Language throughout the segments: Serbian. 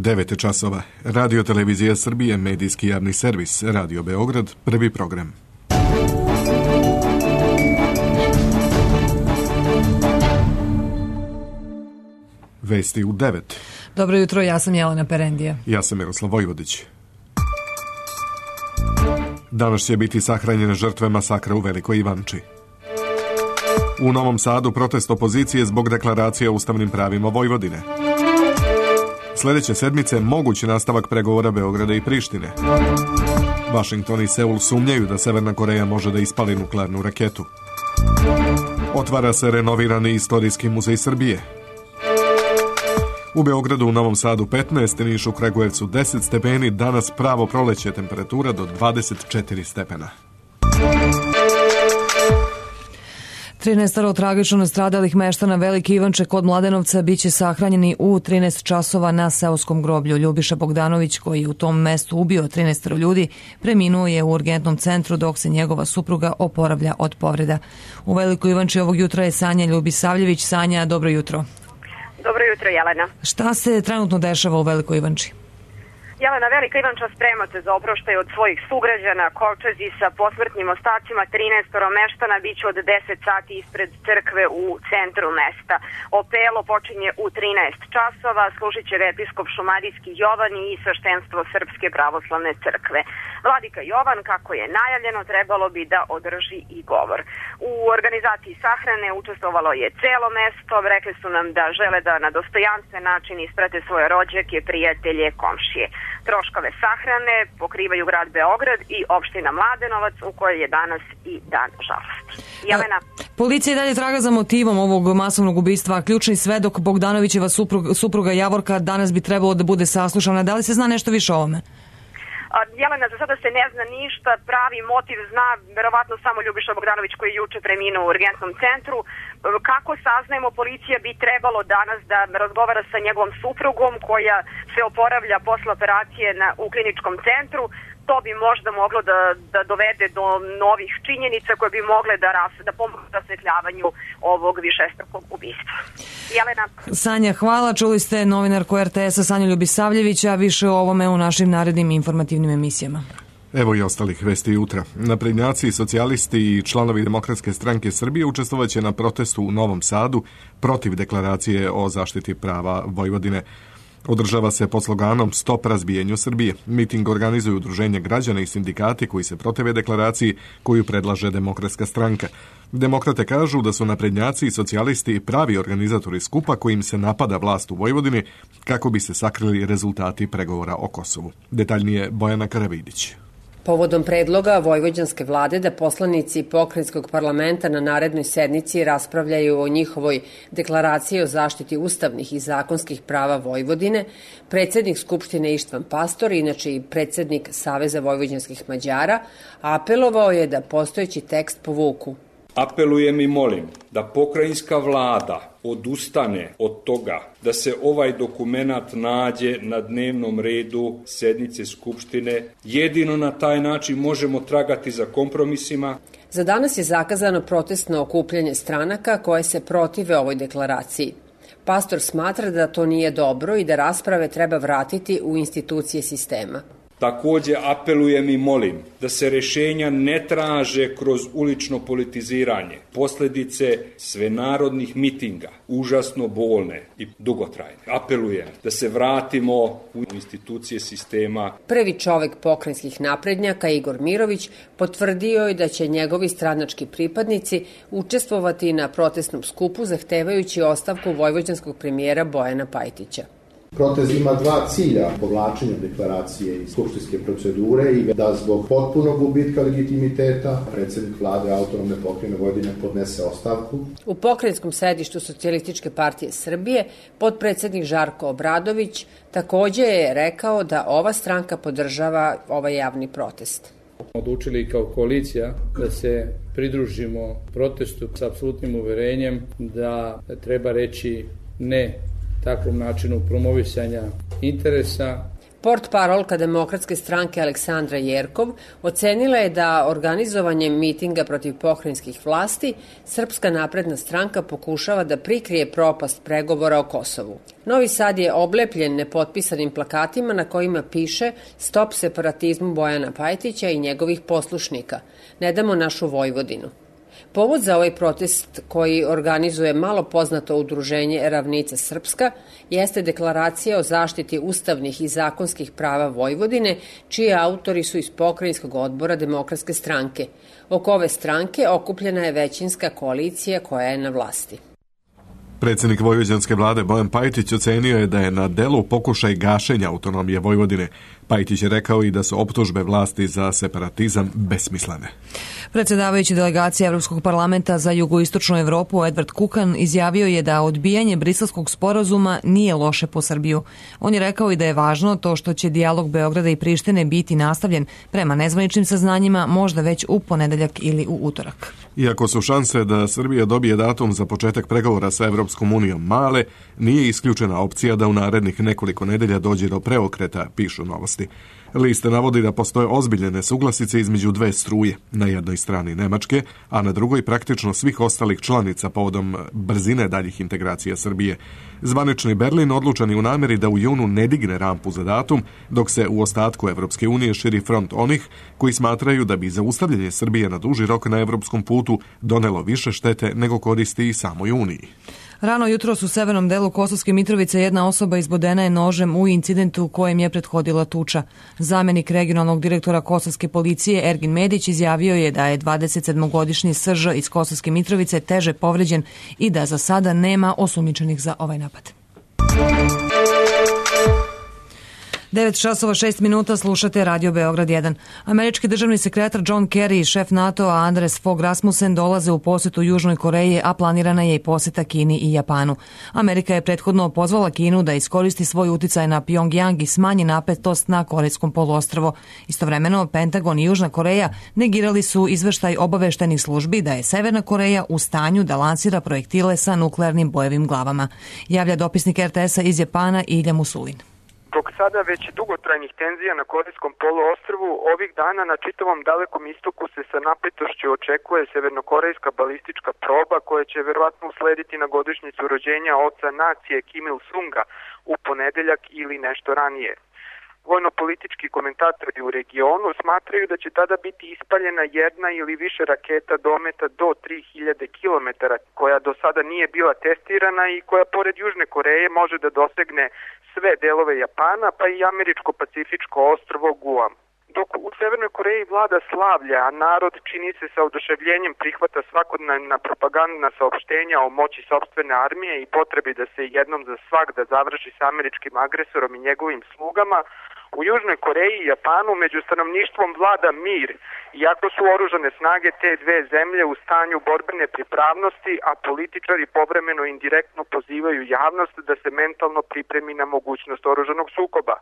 9 časova. Radio Televizija Srbije, medijski javni servis, Radio Beograd, prvi program. Vesti u 9. Dobro jutro, ja sam Jelena Perendija. Ja sam Miroslav Vojvodić. Danas će biti sahranjene žrtve masakra u Velikoj Ivanči. U Novom Sadu protest opozicije zbog deklaracije o ustavnim pravima Vojvodine. Sljedeće sedmice moguć nastavak pregovora Beograda i Prištine. Vašington i Seul sumnjaju da Severna Koreja može da ispali nuklearnu raketu. Otvara se renovirani istorijski muzej Srbije. U Beogradu, u Novom Sadu 15, Nišu, Kragujevcu 10 stepeni, danas pravo proleće, temperatura do 24 stepena. 13 tragično nastradalih meštana Velike Ivanče kod Mladenovca biće sahranjeni u 13 časova na seoskom groblju. Ljubiša Bogdanović, koji je u tom mestu ubio 13 ljudi, preminuo je u urgentnom centru dok se njegova supruga oporavlja od povreda. U Velikoj Ivanči ovog jutra je Sanja Ljubisavljević. Sanja, dobro jutro. Dobro jutro, Jelena. Šta se trenutno dešava u Velikoj Ivanči? Jelena, Velika Ivanča sprema se za oproštaj od svojih sugrađana. Kolčezi sa posmrtnim ostacima 13 meštana biće od 10 sati ispred crkve u centru mesta. Opelo počinje u 13 časova, služit će ga episkop šumadijski Jovan i sveštenstvo Srpske pravoslavne crkve. Vladika Jovan, kako je najavljeno, trebalo bi da održi i govor. U organizaciji sahrane učestvovalo je celo mesto. Rekli su nam da žele da na dostojanstven način isprate svoje rođake, prijatelje, komšije. Troškove sahrane pokrivaju grad Beograd i opština Mladenovac, u kojoj je danas i dan žalosti. Jelena. Policija i dalje traga za motivom ovog masovnog ubistva. Ključni svedok Bogdanovićeva supruga Javorka danas bi trebalo da bude saslušana. Da li se zna nešto više o ovome? Jelena, za sada se ne zna ništa, pravi motiv zna verovatno samo Ljubiša Bogdanović koji je juče preminuo u urgentnom centru. Kako saznajemo, policija bi trebalo danas da razgovara sa njegovom suprugom koja se oporavlja posle operacije u kliničkom centru. To bi možda moglo da dovede do novih činjenica koje bi mogle da pomogu rasvetljavanju ovog višestrukog ubistva. Jelena. Sanja, hvala. Čuli ste novinarku RTS-a Sanju Ljubisavljevića. Više o ovome u našim narednim informativnim emisijama. Evo i ostalih vesti jutra. Naprednjaci, socijalisti i članovi Demokratske stranke Srbije učestvovaće na protestu u Novom Sadu protiv deklaracije o zaštiti prava Vojvodine. Održava se pod sloganom Stop razbijenju Srbije. Miting organizuju udruženje građana i sindikati koji se protive deklaraciji koju predlaže Demokratska stranka. Demokrate kažu da su naprednjaci i socijalisti pravi organizatori skupa kojim se napada vlast u Vojvodini kako bi se sakrili rezultati pregovora o Kosovu. Detaljnije Bojana Karavidić. Povodom predloga vojvođanske vlade da poslanici pokrajinskog parlamenta na narednoj sednici raspravljaju o njihovoj deklaraciji o zaštiti ustavnih i zakonskih prava Vojvodine, predsjednik Skupštine Ištvan Pastor, inače i predsjednik Saveza vojvođanskih Mađara, apelovao je da postojeći tekst povuku. Apelujem i molim da pokrajinska vlada odustane od toga da se ovaj dokumenat nađe na dnevnom redu sednice Skupštine. Jedino na taj način možemo tragati za kompromisima. Za danas je zakazano protestno okupljanje stranaka koje se protive ovoj deklaraciji. Pastor smatra da to nije dobro i da rasprave treba vratiti u institucije sistema. Također apelujem i molim da se rješenja ne traže kroz ulično politiziranje. Posljedice svenarodnih mitinga, užasno bolne i dugotrajne. Apelujem da se vratimo u institucije sistema. Prvi čovjek pokrajinskih naprednjaka, Igor Mirović, potvrdio je da će njegovi stranački pripadnici učestvovati na protestnom skupu zahtevajući ostavku vojvođanskog premijera Bojana Pajtića. Protest ima dva cilja: povlačenja deklaracije iz skupštinske procedure i da zbog potpunog gubitka legitimiteta predsjednik vlade autonomne pokrajine Vojvodine podnese ostavku. U pokrajinskom sedištu Socijalističke partije Srbije potpredsjednik Žarko Obradović također je rekao da ova stranka podržava ovaj javni protest. Odlučili kao koalicija da se pridružimo protestu s apsolutnim uverenjem da treba reći ne takvom načinu promovisanja interesa. Portparolka Demokratske stranke Aleksandra Jerkov ocenila je da organizovanjem mitinga protiv pokrajinskih vlasti Srpska napredna stranka pokušava da prikrije propast pregovora o Kosovu. Novi Sad je oblepljen nepotpisanim plakatima na kojima piše Stop separatizmu Bojana Pajtića i njegovih poslušnika. Ne damo našu Vojvodinu. Povod za ovaj protest koji organizuje malo poznato udruženje Ravnica Srpska jeste deklaracija o zaštiti ustavnih i zakonskih prava Vojvodine, čiji autori su iz pokrajinskog odbora Demokratske stranke. Oko ove stranke okupljena je većinska koalicija koja je na vlasti. Predsjednik vojvođanske vlade Bojan Pajtić ocenio je da je na delu pokušaj gašenja autonomije Vojvodine. Pajtić je rekao i da su optužbe vlasti za separatizam besmislene. Predsjedavajući delegacije Evropskog parlamenta za jugoistočnu Evropu Edward Kukan izjavio je da odbijanje Briselskog sporazuma nije loše po Srbiju. On je rekao i da je važno to što će dijalog Beograda i Prištine biti nastavljen prema nezvaničnim saznanjima možda već u ponedeljak ili u utorak. Iako su šanse da Srbija dobije datum za početak pregovora sa Evropskom unijom male, nije isključena opcija da u narednih nekoliko nedelja dođe do preokreta, pišu Novosti. List navodi da postoje ozbiljne nesuglasice između dve struje, na jednoj strani Nemačke, a na drugoj praktično svih ostalih članica povodom brzine daljih integracija Srbije. Zvanični Berlin odlučan je u nameri da u junu ne digne rampu za datum, dok se u ostatku Evropske unije širi front onih koji smatraju da bi zaustavljanje Srbije na duži rok na evropskom putu donelo više štete nego koristi i samoj Uniji. Rano jutros u severnom delu Kosovske Mitrovice jedna osoba izbodena je nožem u incidentu kojem je prethodila tuča. Zamjenik regionalnog direktora Kosovske policije Ergin Medić izjavio je da je 27-godišnji Srž iz Kosovske Mitrovice teže povređen i da za sada nema osumnjičenih za ovaj napad. 9:06 slušate Radio Beograd 1. Američki državni sekretar John Kerry i šef NATO-a Anders Fogh Rasmussen dolaze u posjetu Južnoj Koreji, a planirana je i posjeta Kini i Japanu. Amerika je prethodno pozvala Kinu da iskoristi svoj uticaj na Pjongjang i smanji napetost na Korejskom poluostrvu. Istovremeno, Pentagon i Južna Koreja negirali su izveštaj obaveštenih službi da je Severna Koreja u stanju da lansira projektile sa nuklearnim bojevim glavama. Javlja dopisnik RTS-a iz Japana Ilja Musulin. Dok sada već dugotrajnih tenzija na Korejskom poluostrvu, ovih dana na čitavom Dalekom istoku se sa napetošću očekuje severnokorejska balistička proba koja će verovatno uslediti na godišnjicu rođenja oca nacije Kim Il-sunga u ponedeljak ili nešto ranije. Vojno-politički komentatori u regionu smatraju da će tada biti ispaljena jedna ili više raketa dometa do 3000 km, koja do sada nije bila testirana i koja pored Južne Koreje može da dosegne sve delove Japana, pa i američko-pacifičko ostrvo Guam. Dok u Severnoj Koreji vlada slavlja, a narod čini se sa oduševljenjem prihvata svakodnevna propagandna saopštenja o moći sopstvene armije i potrebi da se jednom za svagda završi sa američkim agresorom i njegovim slugama, u Južnoj Koreji i Japanu među stanovništvom vlada mir, iako su oružane snage te dve zemlje u stanju borbene pripravnosti, a političari povremeno indirektno pozivaju javnost da se mentalno pripremi na mogućnost oružanog sukoba.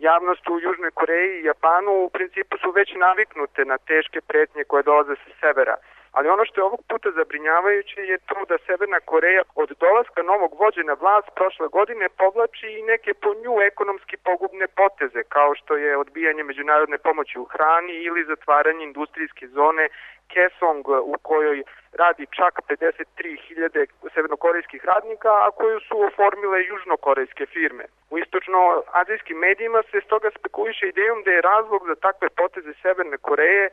Javnost u Južnoj Koreji i Japanu u principu su već naviknute na teške pretnje koje dolaze sa severa. Ali ono što je ovog puta zabrinjavajuće je to da Severna Koreja od dolaska novog vođe na vlast prošle godine povlači i neke po nju ekonomski pogubne poteze, kao što je odbijanje međunarodne pomoći u hrani ili zatvaranje industrijske zone Kaesong u kojoj radi čak 53.000 severnokorejskih radnika, a koju su oformile južnokorejske firme. U istočno-azijskim medijima se stoga spekuliše idejom da je razlog za takve poteze Severne Koreje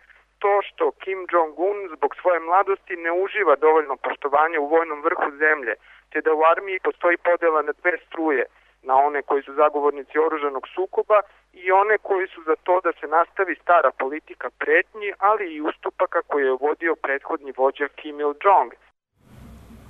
to što Kim Jong-un zbog svoje mladosti ne uživa dovoljno poštovanja u vojnom vrhu zemlje, te da u armiji postoji podela na dve struje, na one koji su zagovornici oružanog sukoba i one koji su za to da se nastavi stara politika pretnji, ali i ustupaka koje je vodio prethodni vođa Kim Il-jong.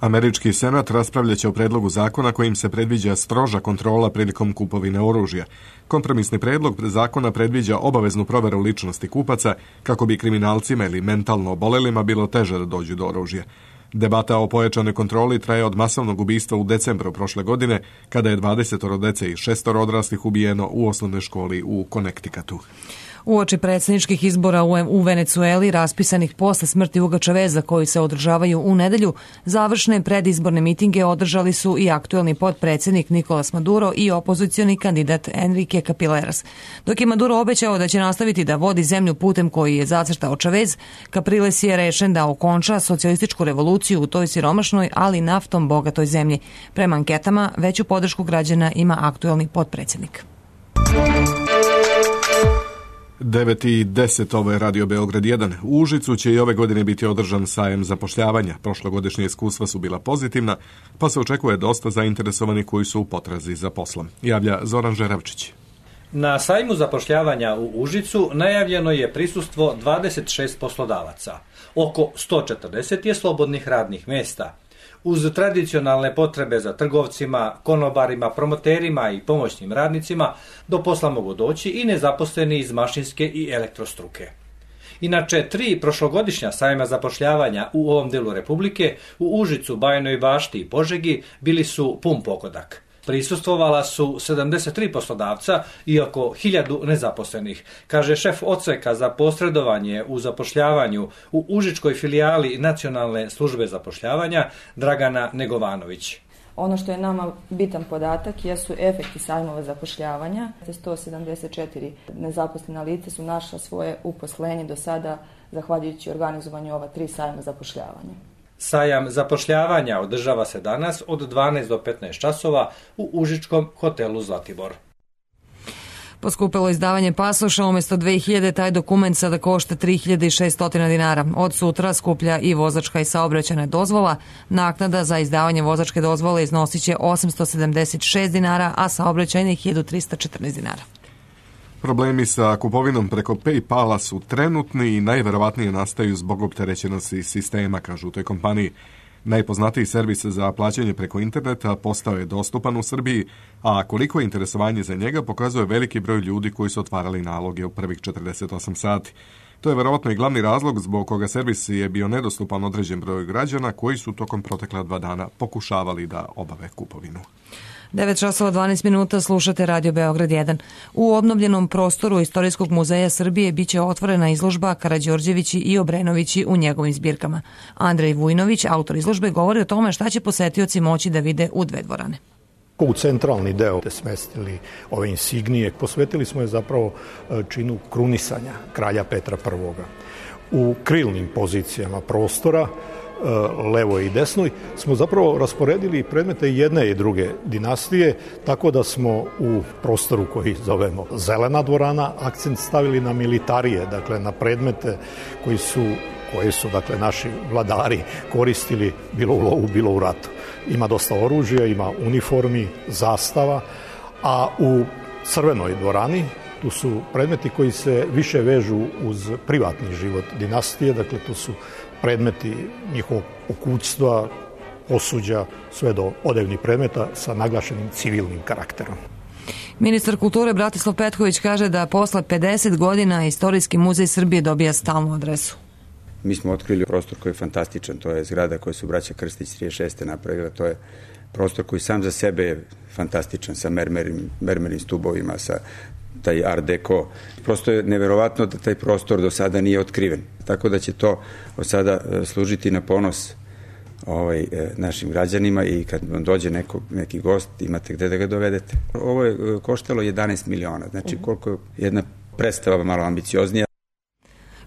Američki senat raspravljaće o predlogu zakona kojim se predviđa stroža kontrola prilikom kupovine oružja. Kompromisni predlog zakona predviđa obaveznu proveru ličnosti kupaca kako bi kriminalcima ili mentalno obolelima bilo teže da dođu do oružja. Debata o pojačanoj kontroli traje od masovnog ubistva u decembru prošle godine, kada je 20 dece i 6 odraslih ubijeno u osnovnoj školi u Connecticutu. Uoči predsjedničkih izbora u Venecueli, raspisanih posle smrti Huga Chaveza koji se održavaju u nedelju, završne predizborne mitinge održali su i aktuelni potpredsjednik Nicolas Maduro i opozicioni kandidat Enrique Capriles. Dok je Maduro obećao da će nastaviti da vodi zemlju putem koji je zacrtao Chavez, Capriles je rešen da okonča socijalističku revoluciju u toj siromašnoj, ali naftom bogatoj zemlji. Prema anketama, veću podršku građana ima aktuelni potpredsjednik. 9:10, ovo je Radio Beograd 1. U Užicu će i ove godine biti održan sajam zapošljavanja. Prošlogodišnje iskustva su bila pozitivna, pa se očekuje dosta zainteresovanih koji su u potrazi za poslom. Javlja Zoran Žeravčić. Na sajmu zapošljavanja u Užicu najavljeno je prisustvo 26 poslodavaca. Oko 140 je slobodnih radnih mjesta. Uz tradicionalne potrebe za trgovcima, konobarima, promoterima i pomoćnim radnicima, do posla mogu doći i nezaposleni iz mašinske i elektrostruke. Inače, 3 prošlogodišnja sajma zapošljavanja u ovom delu Republike, u Užicu, Bajinoj Bašti i Požegi, bili su pun pogodak. Prisustvovala su 73 poslodavca i oko 1000 nezaposlenih, kaže šef odseka za posredovanje u zapošljavanju u Užičkoj filijali Nacionalne službe zapošljavanja Dragana Negovanović. Ono što je nama bitan podatak jesu efekti sajmova zapošljavanja. 174 nezaposlena lica su našla svoje uposlenje do sada zahvaljujući organizovanju ova 3 sajma zapošljavanja. Sajam zapošljavanja održava se danas od 12 do 15 časova u Užičkom hotelu Zlatibor. Poskupilo izdavanje pasoša, umjesto 2000 taj dokument sada košta 3600 dinara. Od sutra skuplja i vozačka i saobraćajna dozvola. Naknada za izdavanje vozačke dozvole iznosit će 876 dinara, a saobraćajnih 1314 dinara. Problemi sa kupovinom preko PayPala su trenutni i najverovatnije nastaju zbog opterećenosti sistema, kažu u toj kompaniji. Najpoznatiji servis za plaćanje preko interneta postao je dostupan u Srbiji, a koliko je interesovanje za njega pokazuje veliki broj ljudi koji su otvarali naloge u prvih 48 sati. To je verovatno i glavni razlog zbog koga servis je bio nedostupan određen broju građana koji su tokom protekla 2 dana pokušavali da obave kupovinu. 9:12 slušate Radio Beograd 1. U obnovljenom prostoru Istorijskog muzeja Srbije biće otvorena izložba Karađorđevići i Obrenovići u njegovim zbirkama. Andrej Vujnović, autor izložbe, govori o tome šta će posetioci moći da vide u 2 dvorane. U centralni deo smestili ove insignije, posvetili smo je zapravo činu krunisanja kralja Petra I. U krilnim pozicijama prostora, levoj i desnoj, smo zapravo rasporedili predmete jedne i druge dinastije, tako da smo u prostoru koji zovemo Zelena dvorana akcent stavili na militarije, dakle na predmete koje su dakle naši vladari koristili bilo u lovu, bilo u ratu. Ima dosta oružja, ima uniformi, zastava, a u Crvenoj dvorani tu su predmeti koji se više vežu uz privatni život dinastije, dakle tu su predmeti njihovog pokućstva, posuđa, sve do odevnih predmeta sa naglašenim civilnim karakterom. Ministar kulture Bratislav Petković kaže da posle 50 godina Istorijski muzej Srbije dobija stalnu adresu. Mi smo otkrili prostor koji je fantastičan, to je zgrada koju su braća Krstić 36. napravila, to je prostor koji sam za sebe je fantastičan, sa mermernim stubovima, sa taj art deco. Prosto je neverovatno da taj prostor do sada nije otkriven. Tako da će to od sada služiti na ponos našim građanima i kad vam dođe neki gost, imate gde da ga dovedete. Ovo je koštalo 11 miliona, znači koliko je jedna predstava malo ambicioznija.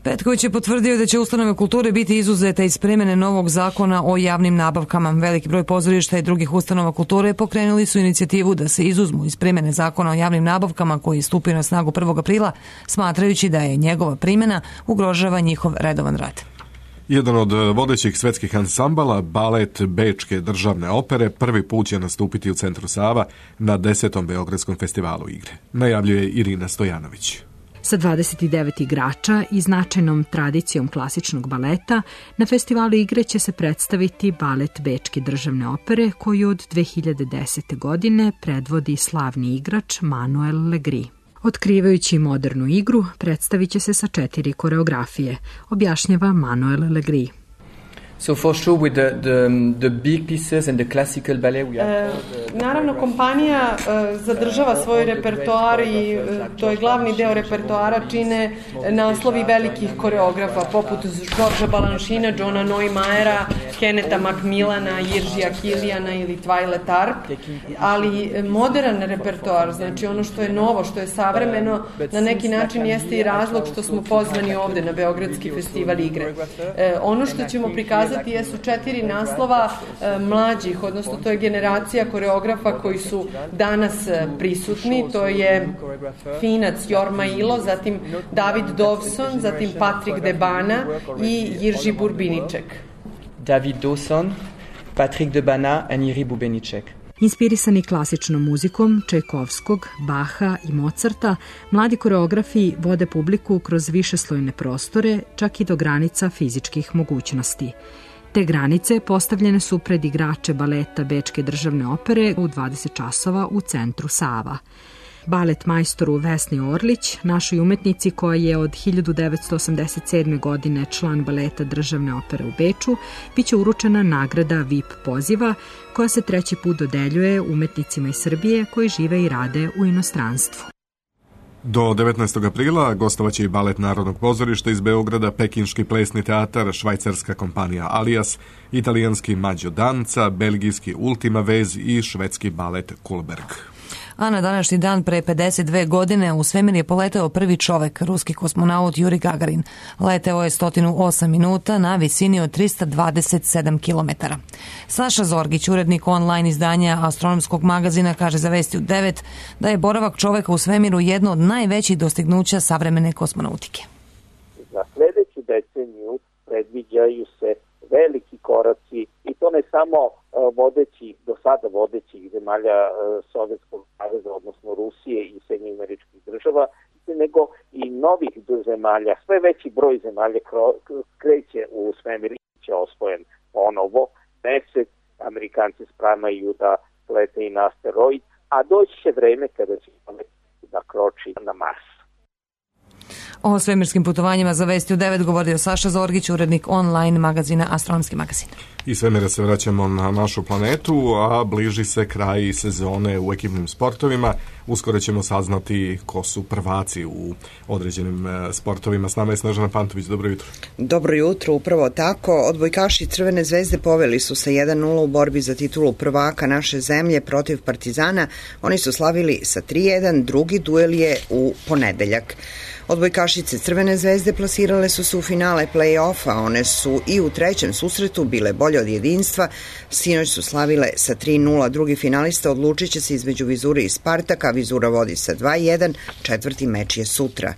Petković je potvrdio da će ustanove kulture biti izuzete iz primjene novog zakona o javnim nabavkama. Veliki broj pozorišta i drugih ustanova kulture pokrenuli su inicijativu da se izuzmu iz primjene zakona o javnim nabavkama koji je stupio na snagu 1. aprila, smatrajući da je njegova primjena ugrožava njihov redovan rad. Jedan od vodećih svetskih ansambala, balet Bečke državne opere, prvi put će nastupiti u centru Sava na 10. Beogradskom festivalu igre. Najavljuje Irina Stojanović. Sa 29 igrača i značajnom tradicijom klasičnog baleta, na festivalu igre će se predstaviti balet Bečke državne opere koju od 2010. godine predvodi slavni igrač Manuel Legri. Otkrivajući modernu igru, predstavit će se sa 4 koreografije, objašnjava Manuel Legri. So for sure with the big pieces and the classical ballet we have naravno kompanija zadržava svoj repertoar i to je glavni deo repertoara čine naslovi velikih koreografa poput Georgea Balanchina, Johna Neumayera, Kenneta Macmillana, Jiržija Kilijana ili Twyla Tarp, ali modern repertoar, znači ono što je novo, što je savremeno, na neki način jeste i razlog što smo pozvani ovde na Beogradski festival igre. Ono što ćemo prikazati jesu 4 naslova mlađih, odnosno to je generacija koreografa koji su danas prisutni, to je Finac Jorma Ilo, zatim David Dawson, zatim Patrick Debana i Jirži Burbiniček. David Dawson, Patrick Debana and Jirži Burbiniček. Inspirisani klasičnom muzikom Čajkovskog, Baha i Mozarta, mladi koreografi vode publiku kroz višeslojne prostore, čak i do granica fizičkih mogućnosti. Te granice postavljene su pred igrače baleta Bečke državne opere u 20 časova u centru Sava. Balet majstoru Vesni Orlić, našoj umetnici koja je od 1987. godine član baleta državne opere u Beču, biće uručena nagrada VIP poziva koja se 3. put dodeljuje umetnicima iz Srbije koji žive i rade u inostranstvu. Do 19. aprila gostovaće i balet Narodnog pozorišta iz Beograda, Pekinški plesni teatar, švajcarska kompanija Alias, italijanski Mađo Danca, belgijski Ultima Vez i švedski balet Kulberg. A na današnji dan pre 52 godine u svemir je poleteo prvi čovek, ruski kosmonaut Juri Gagarin. Leteo je 108 minuta na visini od 327 km. Saša Zorgić, urednik online izdanja astronomskog magazina, kaže za Vesti u 9 da je boravak čoveka u svemiru jedno od najvećih dostignuća savremene kosmonautike. Za sledeću deceniju predviđaju se veliki koraci i to ne samo do sada vodećih zemalja Sovjetskog saveza, odnosno Rusije i Sjedinjenih Američkih Država, nego i novih zemalja. Sve veći broj zemalja kreće u svemir i će osvojen ponovo. Mesec, Amerikanci spremaju da lete i na asteroid, a doći će vreme kada će da kroči na Mars. O svemirskim putovanjima za Vesti u 9 govorio Saša Zorgić, urednik online magazina Astronomski magazin. Iz svemira se vraćamo na našu planetu, a bliži se kraj sezone u ekipnim sportovima. Uskoro ćemo saznati ko su prvaci u određenim sportovima. S nama je Snežana Pantović. Dobro jutro. Dobro jutro, upravo tako. Odbojkaši Crvene zvezde poveli su sa 1-0 u borbi za titulu prvaka naše zemlje protiv Partizana. Oni su slavili sa 3-1, drugi duel je u ponedeljak. Odbojkašice Crvene zvezde plasirale su se u finale play-offa, one su i u trećem susretu bile bolje od jedinstva, sinoć su slavile sa 3-0, drugi finalista odlučit će se između Vizure i Spartaka, Vizura vodi sa 2-1, četvrti meč je sutra.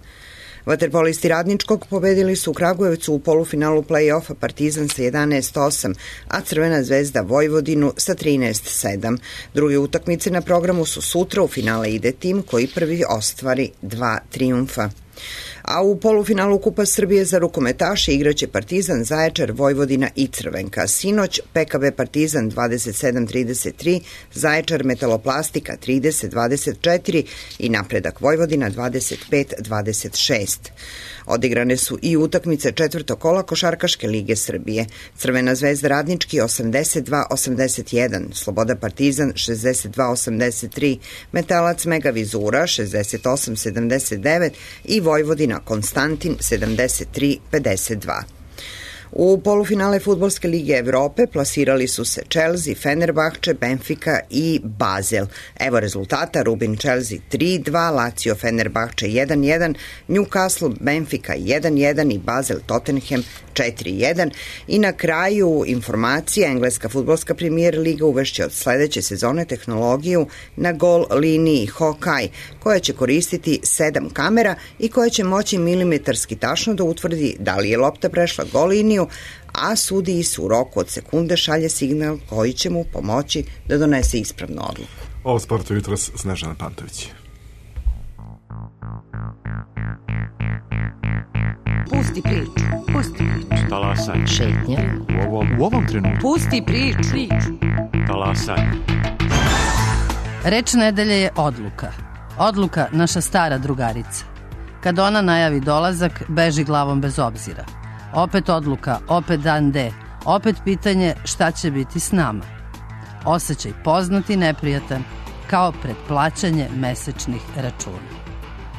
Vaterpolisti Radničkog pobedili su u Kragujevcu u polufinalu play-offa Partizan sa 11-8, a Crvena zvezda Vojvodinu sa 13-7. Druge utakmice na programu su sutra, u finale ide tim koji prvi ostvari 2 trijumfa. A u polufinalu Kupa Srbije za rukometaše igraće Partizan, Zaječar, Vojvodina i Crvenka. Sinoć PKB Partizan 27-33, Zaječar Metaloplastika 30-24 i Napredak Vojvodina 25-26. Odigrane su i utakmice četvrtog kola Košarkaške lige Srbije. Crvena zvezda Radnički 82-81, Sloboda Partizan 62-83, Metalac Mega Vizura 68-79 i Vojvodina Konstantin 73-52. U polufinale Fudbalske lige Evrope plasirali su se Chelsea, Fenerbahče, Benfica i Basel. Evo rezultata: Rubin Chelsea 3-2, Lazio Fenerbahče 1-1, Newcastle Benfica 1-1 i Basel Tottenham 4-1. I na kraju informacija, engleska fudbalska premijer liga uvešće od sledeće sezone tehnologiju na gol liniji Hawkeye, koja će koristiti 7 kamera i koja će moći milimetarski tačno da utvrdi da li je lopta prešla gol liniju, a sudiji su u roku od sekunde šalje signal koji će mu pomoći da donese ispravnu odluku. Ovo sportu jutros Snežana Pantović. Pusti priču. Pusti priču. Talasaj. Šetnja. U ovom trenutku. Pusti priču. Talasaj. Reč nedelje je odluka. Odluka, naša stara drugarica. Kad ona najavi dolazak, beži glavom bez obzira. Opet odluka, opet dan D. Opet pitanje šta će biti s nama. Osjećaj poznat i neprijatan, kao pred plaćanje mesečnih računa.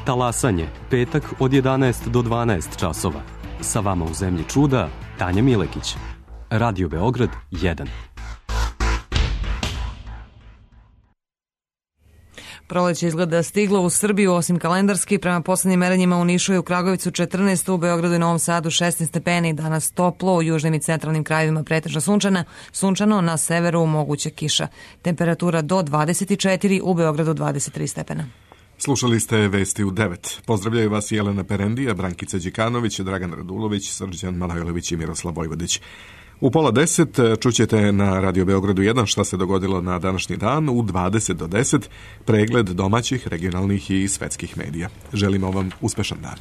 Talasanje, petak od 11 do 12 časova. Sa vama u Zemlji čuda, Tanja Milekić. Radio Beograd 1. Proleće izgleda stiglo u Srbiju, osim kalendarski. Prema poslednjim merenjima u Nišu i u Kragujevcu 14, u Beogradu i Novom Sadu 16 stepeni. Danas toplo, u južnim i centralnim krajevima pretežno sunčano, na severu moguće kiša. Temperatura do 24, u Beogradu 23 stepena. Slušali ste Vesti u 9. Pozdravljaju vas Jelena Perendija, Brankica Đikanović, Dragan Radulović, Srđan Malajlović i Miroslav Vojvodić. U 9:30 čućete na Radio Beogradu 1 šta se dogodilo na današnji dan, u 20 do 10 pregled domaćih, regionalnih i svetskih medija. Želimo vam uspešan dan.